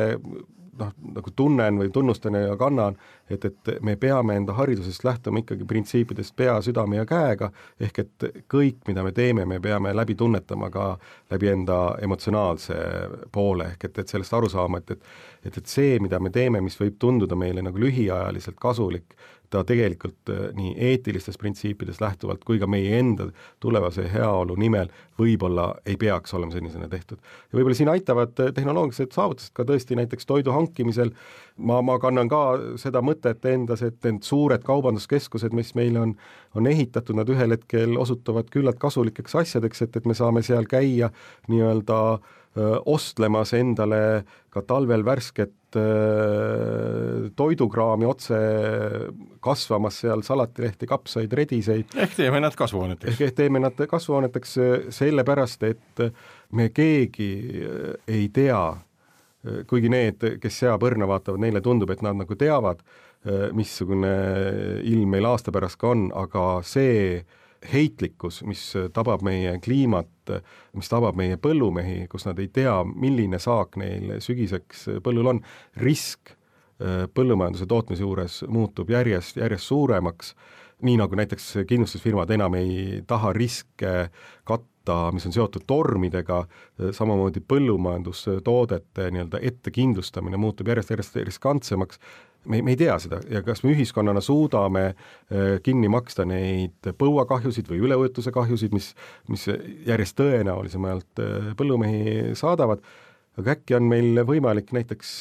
Speaker 4: noh, nagu tunnen või tunnustan ja kannan, et, et me peame enda haridusest lähtuma ikkagi printsiipidest pea, südame ja käega, ehk et kõik, mida me teeme, me peame läbi tunnetama ka läbi enda emotsionaalse poole, ehk et, et sellest aru saama, et, et, et, et see, mida me teeme, mis võib tunduda meile nagu lühiajaliselt kasulik, ta tegelikult nii eetilistest printsiipidest lähtuvalt kui ka meie enda tulevase heaolu nimel võib-olla ei peaks olema sellisena tehtud. Ja võib-olla siin aitavad tehnoloogilised saavutused ka tõesti näiteks toidu hankimisel. Ma, ma kannan ka seda mõtet endas, et need suured kaubanduskeskused, mis meil on, on ehitatud, nad ühel hetkel osutuvad küllalt kasulikeks asjadeks, et, et me saame seal käia nii-öelda öö, ostlemas endale ka talvel värsket toidukraami otse kasvamas seal salatilehti, kapsaid, rediseid.
Speaker 3: Ehk teeme nad kasvuhooneteks.
Speaker 4: Ehk teeme nad kasvuhooneteks sellepärast, et me keegi ei tea, kuigi need, kes seapõrna vaatavad, neile tundub, et nad nagu teavad, missugune ilm meil aasta pärast ka on, aga see heitlikkus, mis tabab meie kliimat, mis tabab meie põllumehi, kus nad ei tea, milline saak neil sügiseks põllul on, risk põllumajanduse tootmise juures muutub järjest, järjest suuremaks, nii nagu näiteks kindlustusfirmad enam ei taha riske katta, mis on seotud tormidega, samamoodi põllumajandustoodete nii-öelda ettekindlustamine muutub järjest, järjest riskantsemaks. Me, me ei tea seda ja kas me ühiskonnana suudame kinni maksta neid põuakahjusid või üleujutuse kahjusid, mis, mis järjest tõenäolisemalt põllumehi saadavad, aga äkki on meil võimalik näiteks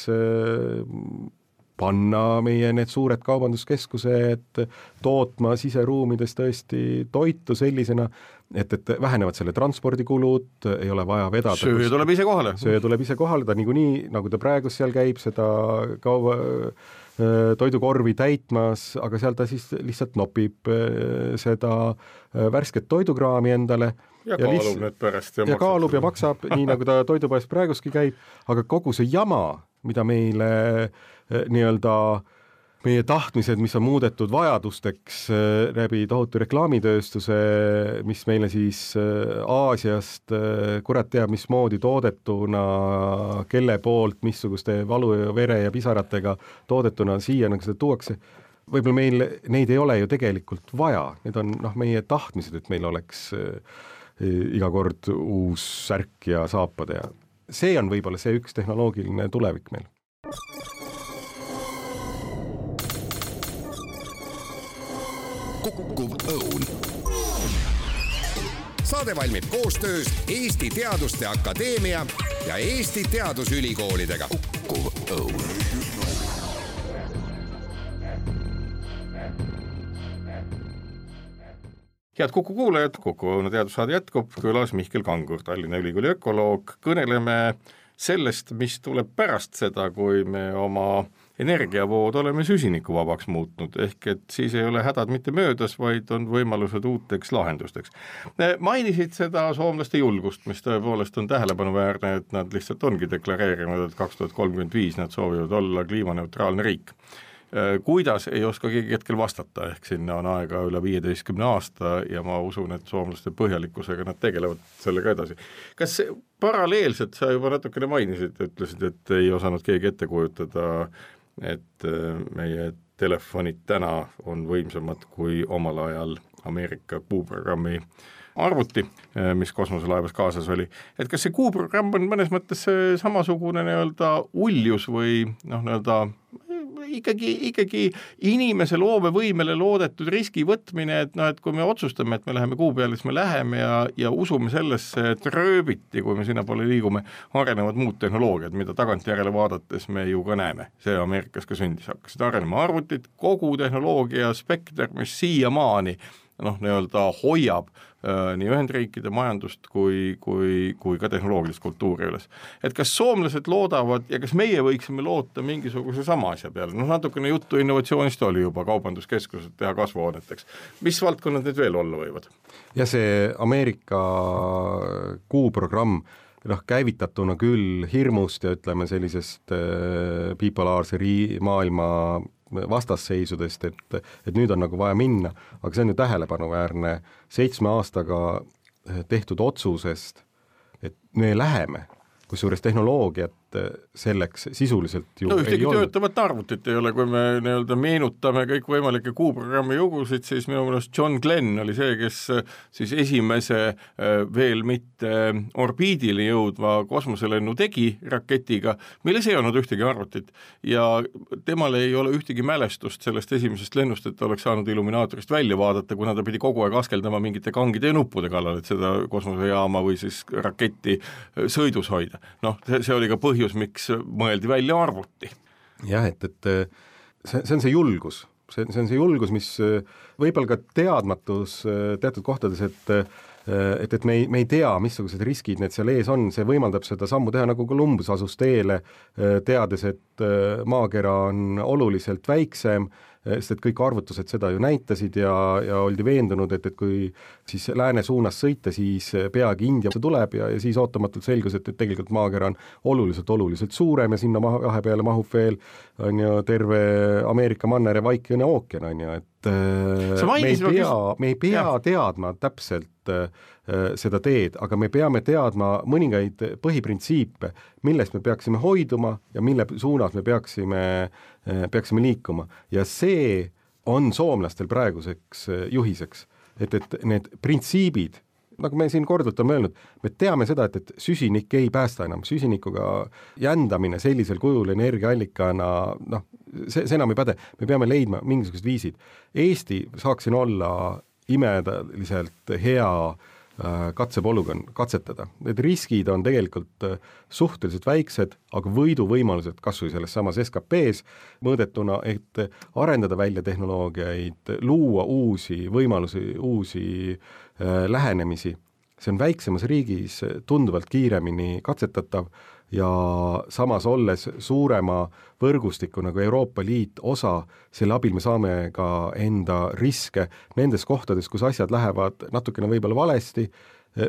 Speaker 4: panna meie need suured kaubanduskeskused tootma siseruumides tõesti toitu sellisena, et, et vähenevad selle transpordikulud, ei ole vaja vedada.
Speaker 3: Söö tuleb ise kohale.
Speaker 4: Söö tuleb ise kohale, ta niikuinii, nagu ta praegu seal käib, seda kauba toidukorvi täitmas, aga seal ta siis lihtsalt nopib seda värsket toidukraami endale.
Speaker 3: Ja, ja kaalub liss... need pärast.
Speaker 4: Ja, ja kaalub ja maksab, nii nagu ta toidupoes praeguski käib, aga kogu see jama, mida meile nii-öelda meie tahtmised, mis on muudetud vajadusteks läbi tohutu reklaamitööstuse, mis meile siis Aasiast kurat teab, mismoodi toodetuna, kelle poolt, missuguste valu ja vere ja pisaratega toodetuna siia nagu seda tuuakse, võib-olla meil neid ei ole ju tegelikult vaja, need on noh, meie tahtmised, et meil oleks iga kord uus särk ja saapad ja see on võib-olla see üks tehnoloogiline tulevik meil.
Speaker 2: Kukkuv õun. Saade valmib koostöös Eesti Teaduste Akadeemia ja Eesti Teadusülikoolidega. Kukkuv õun.
Speaker 3: Head Kuku kuulajad, Kuku õuna teadussaade jätkub, külas Mihkel Kangur, Tallinna Ülikooli ökoloog. Kõneleme sellest, mis tuleb pärast seda, kui me oma energiavood oleme süsinikuvabaks muutnud, ehk et siis ei ole hädad mitte möödas, vaid on võimalused uuteks lahendusteks. Mainisid seda soomlaste julgust, mis tõepoolest on tähelepanuväärne, et nad lihtsalt ongi deklareerinud, et kaks tuhat kolmkümmend viis nad soovivad olla kliimaneutraalne riik. Kuidas ei oska keegi hetkel vastata, ehk sinna on aega üle viieteistkümne aasta ja ma usun, et soomlaste põhjalikkusega nad tegelevad sellega edasi. Kas paralleelselt sa juba natukene mainisid, ütlesid, et ei osanud keegi ette kujutada, et meie telefonid täna on võimsamad kui omal ajal Ameerika kuuprogrammi arvuti, mis kosmoselaevas kaasas oli. Et kas see kuuprogramm on mõnes mõttes samasugune nii-öelda uljus või noh, nii-öelda ikkagi, ikkagi inimese loomevõimele loodetud riski võtmine, et noh, et kui me otsustame, et me läheme kuu peale, siis me läheme ja, ja usume sellesse, et rööbiti, kui me sinna poole liigume, arenevad muud tehnoloogiad, mida tagantjärele vaadates me ju ka näeme. See Ameerikas ka sündis, hakkasid arenema arvutid, kogu tehnoloogia spekter, mis siiamaani noh, nii-öelda hoiab äh, nii Ühendriikide majandust kui, kui, kui ka tehnoloogilist kultuuri üles. Et kas soomlased loodavad ja kas meie võiksime loota mingisuguse sama asja peale? Noh, natukene juttu innovatsioonist oli juba kaubanduskeskused teha kasvuhooneteks. Mis valdkonnad need veel olla võivad?
Speaker 4: Ja see Ameerika kuuprogramm noh, käivitatuna küll hirmust ja ütleme sellisest äh, bipolaarse rii- maailma vastasseisudest, et, et nüüd on nagu vaja minna, aga see on ju tähelepanuväärne seitsme aastaga tehtud otsusest, et me läheme, kusjuures tehnoloogiat selleks sisuliselt ju
Speaker 3: no,
Speaker 4: ei
Speaker 3: ole. Töötavat arvutit ei ole, kui me nii-öelda meenutame kõik võimalikke kuuprogrammi jugusid, siis minu meelest John Glenn oli see, kes siis esimese veel mitte orbiidile jõudva kosmoselennu tegi raketiga, milles ei olnud ühtegi arvutit ja temal ei ole ühtegi mälestust sellest esimesest lennust, et ta oleks saanud illuminaatorist välja vaadata, kuna ta pidi kogu aeg askeldama mingite kangide ja nuppude kallal, et seda kosmosejaama või siis raketti sõidus hoida. Noh, see, see oli ka põhjus, miks mõeldi välja arvuti.
Speaker 4: Jah, et, et see, see on see julgus, see, see on see julgus, mis võib-olla ka teadmatus teatud kohtades, et et, et me ei, me ei tea, missugused riskid need seal ees on, see võimaldab seda sammu teha, nagu Columbus asus teele, teades, et maakera on oluliselt väiksem, sest et kõik arvutused seda ju näitasid ja, ja oldi veendunud, et, et kui siis lääne suunas sõita, siis peagi India tuleb ja, ja siis ootamatult selgus, et, et tegelikult maakera on oluliselt, oluliselt suurem ja sinna maha, vahepeale mahub veel on ju terve Ameerika manner ja Vaikne ookean, on ju, et me ei pea, me ei pea teadma täpselt seda teed, aga me peame teadma mõningaid põhiprintsiipe, millest me peaksime hoiduma ja mille suunas me peaksime, peaksime liikuma. Ja see on soomlastel praeguseks juhiseks, et, et need printsiibid, nagu me siin korduvalt oleme öelnud, me teame seda, et, et süsinik ei päästa enam, süsinikuga jändamine sellisel kujul energiaallikana, noh, see, see enam ei päde, me peame leidma mingisugused viisid. Eesti saaksin olla imedaliselt hea katsepolügoon katsetada. Need riskid on tegelikult suhteliselt väiksed, aga võiduvõimalused kas või selles samas S K P-s mõõdetuna, et arendada välja tehnoloogiaid, luua uusi võimalusi, uusi lähenemisi. See on väiksemas riigis tunduvalt kiiremini katsetatav ja samas olles suurema võrgustiku nagu Euroopa Liit osa, selle abil me saame ka enda riske nendes kohtades, kus asjad lähevad natukene võib-olla valesti,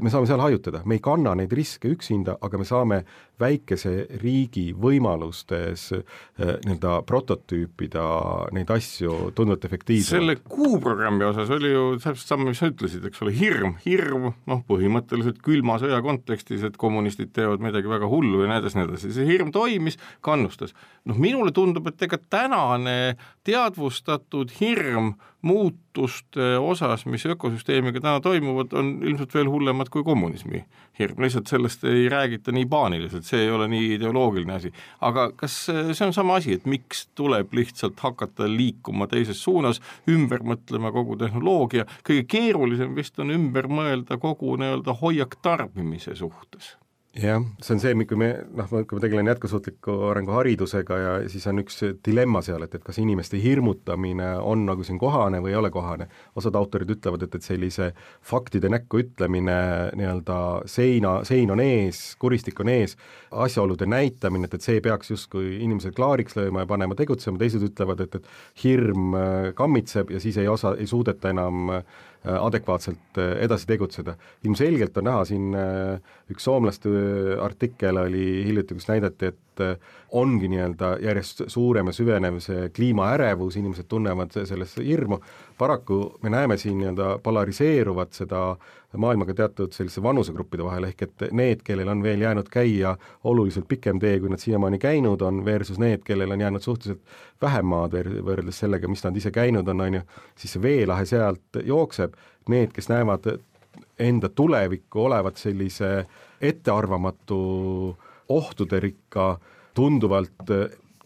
Speaker 4: me saame seal hajutada, me ei kanna neid riske üksinda, aga me saame väikese riigi võimalustes nii-öelda prototüüpida neid asju tunduvalt efektiivsemalt.
Speaker 3: Selle kuuprogrammi osas oli ju täpselt sama, mis sa ütlesid, eks ole, hirm, hirm, noh, põhimõtteliselt külma sõja kontekstis, et kommunistid teevad midagi väga hullu ja näedes näedes. See hirm toimis, kannustas. Noh, minule tundub, et ega tänane teadvustatud hirm muutuste osas, mis ökosüsteemiga täna toimuvad, on ilmselt veel hullemad kui kommunismi hirm. Lihtsalt sellest ei räägita nii paaniliselt, see ei ole nii ideoloogiline asi. Aga kas see on sama asi, et miks tuleb lihtsalt hakata liikuma teises suunas, ümber mõtlema kogu tehnoloogia? Kõige keerulisem vist on ümber mõelda kogu nii-öelda hoiak tarbimise suhtes.
Speaker 4: Jah, see on see, kui me, noh, kui me tegelen jätkusuutliku arengu haridusega ja siis on üks dilemma seal, et, et kas inimeste hirmutamine on nagu siin kohane või ei ole kohane. Osad autorid ütlevad, et, et sellise faktide näkku ütlemine, nii-öelda seina, sein on ees, kuristik on ees, asjaolude näitamine, et, et see peaks justkui inimesed klaariks lööma ja panema tegutsema, teised ütlevad, et, et hirm kammitseb ja siis ei, osa, ei suudeta enam adekvaatselt edasi tegutseda. Ilmselgelt on näha siin üks soomlaste artikkel oli hiljuti, kus näidati, et ongi nii-öelda järjest suurem ja süvenev see kliimaärevus, inimesed tunnevad sellesse hirmu. Paraku me näeme siin nii-öelda polariseeruvat seda maailmaga teatud sellise vanusegruppide vahel, ehk et need, kellel on veel jäänud käia oluliselt pikem tee, kui nad siiamaani käinud on, versus need, kellel on jäänud suhteliselt vähem maad võrreldes sellega, mis nad ise käinud on, on ju, siis see veelahe sealt jookseb. Need, kes näevad enda tulevikku olevat sellise ettearvamatu ohtuderikka, tunduvalt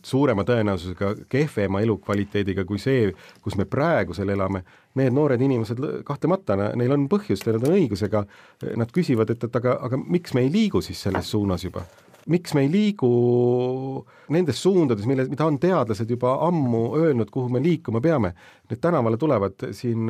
Speaker 4: suurema tõenäosusega kehvema elukvaliteediga kui see, kus me praegusel elame, need noored inimesed kahtlemata, neil on põhjust ja nad on õigusega, nad küsivad, et, et aga, aga miks me ei liigu siis selles suunas juba? Miks me ei liigu nendes suundades, mille, mida on teadlased juba ammu öelnud, kuhu me liikuma peame? Need tänavale tulevad siin,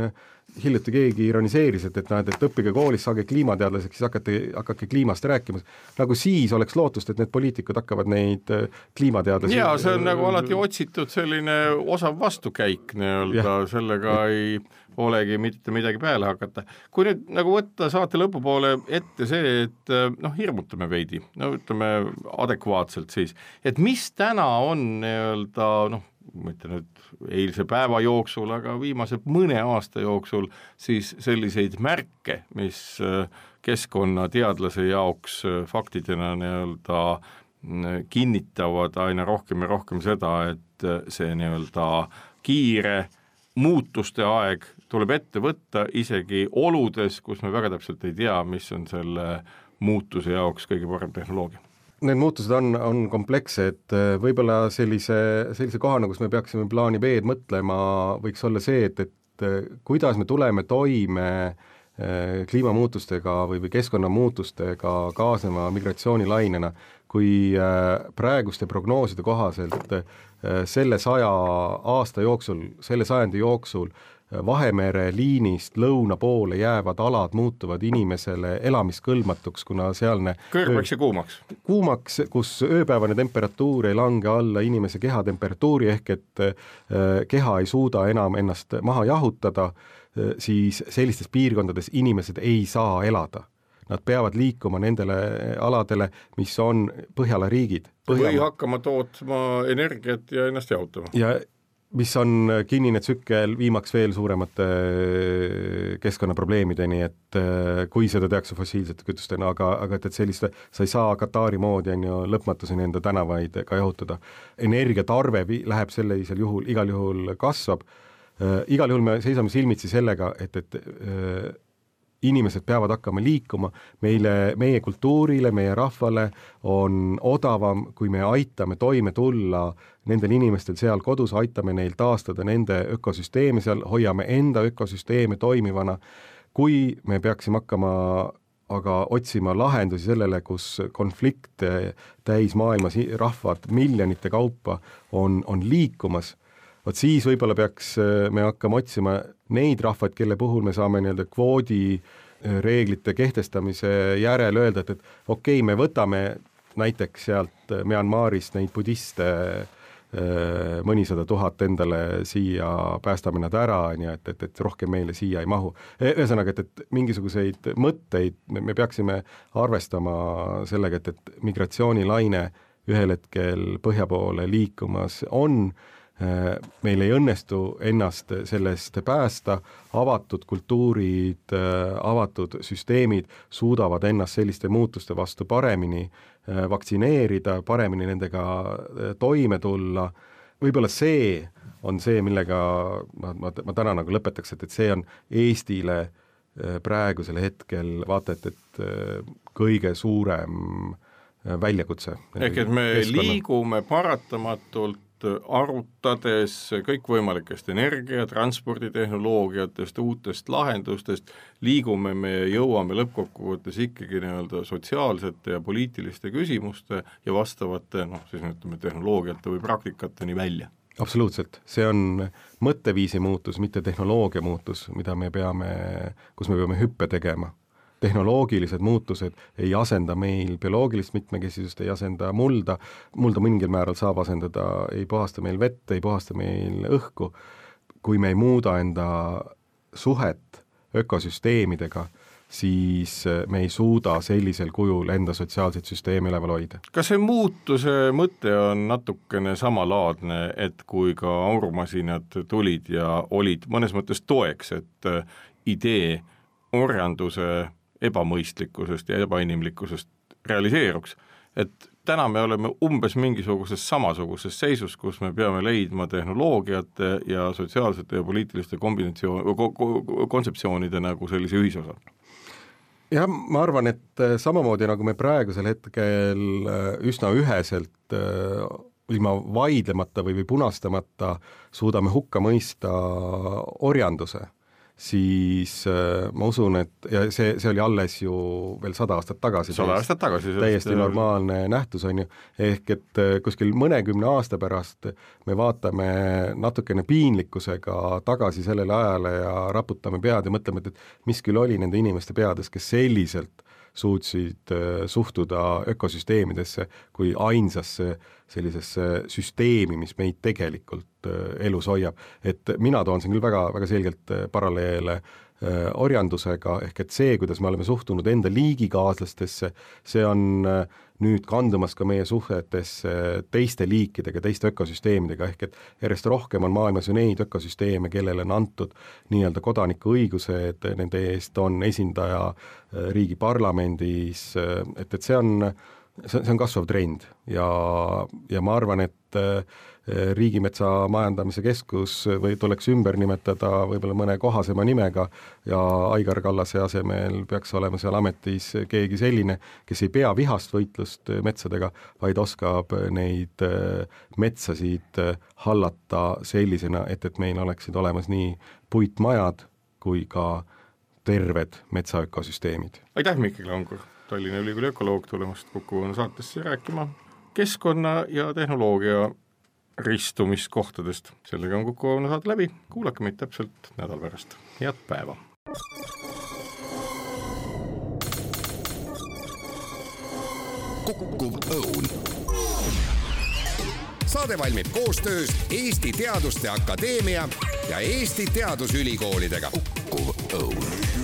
Speaker 4: hiljuti keegi ironiseeris, et, et, näed, et õppige koolis, saage kliimateadlaseks, siis hakake, hakake kliimast rääkima. Nagu siis oleks lootust, et need poliitikud hakkavad neid kliimateadlasi...
Speaker 3: Jaa, see on nagu alati otsitud selline osav vastukäik, nii-öelda, sellega ei olegi mitte midagi peale hakata. Kui nüüd nagu võtta saate lõpupoole ette see, et noh, hirmutame veidi, no ütleme adekvaatselt siis, et mis täna on nii-öelda, noh, mitte nüüd eilse päeva jooksul, aga viimase mõne aasta jooksul siis selliseid märke, mis keskkonnateadlase jaoks faktidena nii-öelda kinnitavad aina rohkem ja rohkem seda, et see nii-öelda kiire muutuste aeg tuleb ette võtta isegi oludes, kus me väga täpselt ei tea, mis on selle muutuse jaoks kõige parem tehnoloogia.
Speaker 4: Need muutused on, on komplekssed, võib-olla sellise, sellise kohana, kus me peaksime plaani B-d mõtlema, võiks olla see, et, et kuidas me tuleme toime kliimamuutustega või, või keskkonnamuutustega kaasneva migratsioonilainena, kui praeguste prognooside kohaselt selle saja aasta jooksul, selle sajandi jooksul Vahemere liinist lõuna poole jäävad alad muutuvad inimesele elamiskõlbmatuks, kuna sealne
Speaker 3: kõrvaks ja kuumaks.
Speaker 4: Kuumaks, kus ööpäevane temperatuur ei lange alla inimese kehatemperatuuri ehk et keha ei suuda enam ennast maha jahutada, siis sellistes piirkondades inimesed ei saa elada. Nad peavad liikuma nendele aladele, mis on Põhjala riigid.
Speaker 3: Põhjala. Või hakkama tootma energiat ja ennast jahutama.
Speaker 4: Ja mis on kinnine tsükkel viimaks veel suuremate keskkonnaprobleemideni, et kui seda tehakse fossiilsete kütustena, aga, aga et, et selliste, sa ei saa Katari moodi on ju lõpmatuseni enda tänavaid ka jahutada. Energiatarve läheb sellisel juhul, igal juhul kasvab. Igal juhul me seisame silmitsi sellega, et, et inimesed peavad hakkama liikuma, meile, meie kultuurile, meie rahvale on odavam, kui me aitame toime tulla nendel inimestel seal kodus, aitame neil taastada nende ökosüsteemi seal, hoiame enda ökosüsteemi toimivana, kui me peaksime hakkama aga otsima lahendusi sellele, kus konflikt täis maailmas rahvad miljonite kaupa on, on liikumas, Vot siis võib-olla peaks me hakkama otsima neid rahvaid, kelle puhul me saame nii-öelda kvoodi reeglite kehtestamise järel öelda, et, et okei, okay, me võtame näiteks sealt Myanmarist neid budiste mõnisada tuhat endale siia, päästame nad ära, nii et, et, et rohkem meile siia ei mahu. Ühesõnaga, et, et mingisuguseid mõtteid me peaksime arvestama sellega, et, et migratsioonilaine ühel hetkel põhja poole liikumas on, meil ei õnnestu ennast sellest päästa, avatud kultuurid, avatud süsteemid suudavad ennast selliste muutuste vastu paremini vaktsineerida, paremini nendega toime tulla. Võib-olla see on see, millega ma, ma, ma täna nagu lõpetaks, et, et see on Eestile praegusel hetkel vaata, et, et kõige suurem väljakutse.
Speaker 3: Ehk et me keskkonna. Liigume paratamatult arutades kõikvõimalikest energia, transporditehnoloogiatest, uutest lahendustest, liigume me ja jõuame lõppkokkuvõttes ikkagi nii-öelda sotsiaalsete ja poliitiliste küsimuste ja vastavate, noh, siis ütleme, tehnoloogiate või praktikateni välja.
Speaker 4: Absoluutselt, see on mõtteviisi muutus, mitte tehnoloogia muutus, mida me peame, kus me peame hüppe tegema. Tehnoloogilised muutused ei asenda meil bioloogilist mitmekesisust, ei asenda mulda, mulda mingil määral saab asendada, ei puhasta meil vett, ei puhasta meil õhku. Kui me ei muuda enda suhet ökosüsteemidega, siis me ei suuda sellisel kujul enda sotsiaalseid süsteemi üleval hoida.
Speaker 3: Kas see muutuse mõte on natukene samalaadne, et kui ka aurumasinad tulid ja olid mõnes mõttes toeks, et idee orjanduse ebamõistlikkusest ja ebainimlikkusest realiseeruks, et täna me oleme umbes mingisuguses samasuguses seisus, kus me peame leidma tehnoloogiate ja sotsiaalsete ja poliitiliste kombinatsioon, kontseptsioonide nagu sellise ühisosa.
Speaker 4: Jah, ma arvan, et samamoodi nagu me praegusel hetkel üsna üheselt ilma vaidlemata või, või punastamata suudame hukka mõista orjanduse, siis äh, ma usun, et ja see, see oli alles ju veel sada aastat tagasi.
Speaker 3: sada aastat tagasi.
Speaker 4: Täiesti normaalne nähtus on ju, ehk et kuskil mõnekümne aasta pärast me vaatame natukene piinlikkusega tagasi sellele ajale ja raputame pead ja mõtleme, et, et mis küll oli nende inimeste peades, kes selliselt suutsid suhtuda ökosüsteemidesse kui ainsasse sellisesse süsteemi, mis meid tegelikult elus hoiab. Et mina toon siin küll väga, väga selgelt paralleele orjandusega, ehk et see, kuidas me oleme suhtunud enda liigikaaslastesse, see on nüüd kandumas ka meie suhetesse teiste liikidega, teiste ökosüsteemidega, ehk et järjest rohkem on maailmas ju neid ökosüsteeme, kellele on antud nii-öelda kodanikuõigused, nende eest on esindaja riigi parlamendis, et, et see on, see on kasvav trend ja, ja ma arvan, et Riigimetsa Majandamise Keskus või tuleks ümber nimetada võib-olla mõne kohasema nimega ja Aigar Kallase asemel peaks olema seal ametis keegi selline, kes ei pea vihast võitlust metsadega, vaid oskab neid metsasid hallata sellisena, et, et meil oleksid olemas nii puitmajad kui ka terved metsaökosüsteemid.
Speaker 3: Aitäh, Mikkel Angur, Tallinna Ülikooli ökoloog, tulemast Kuku saatesse rääkima keskkonna ja tehnoloogia ristumiskohtadest. Sellega on Kuku saade läbi. Kuulake meid täpselt nädal pärast. Head päeva!
Speaker 2: Kukkuv õun. Saade valmib koostöös Eesti Teaduste Akadeemia ja Eesti Teadusülikoolidega. Kukkuv õun.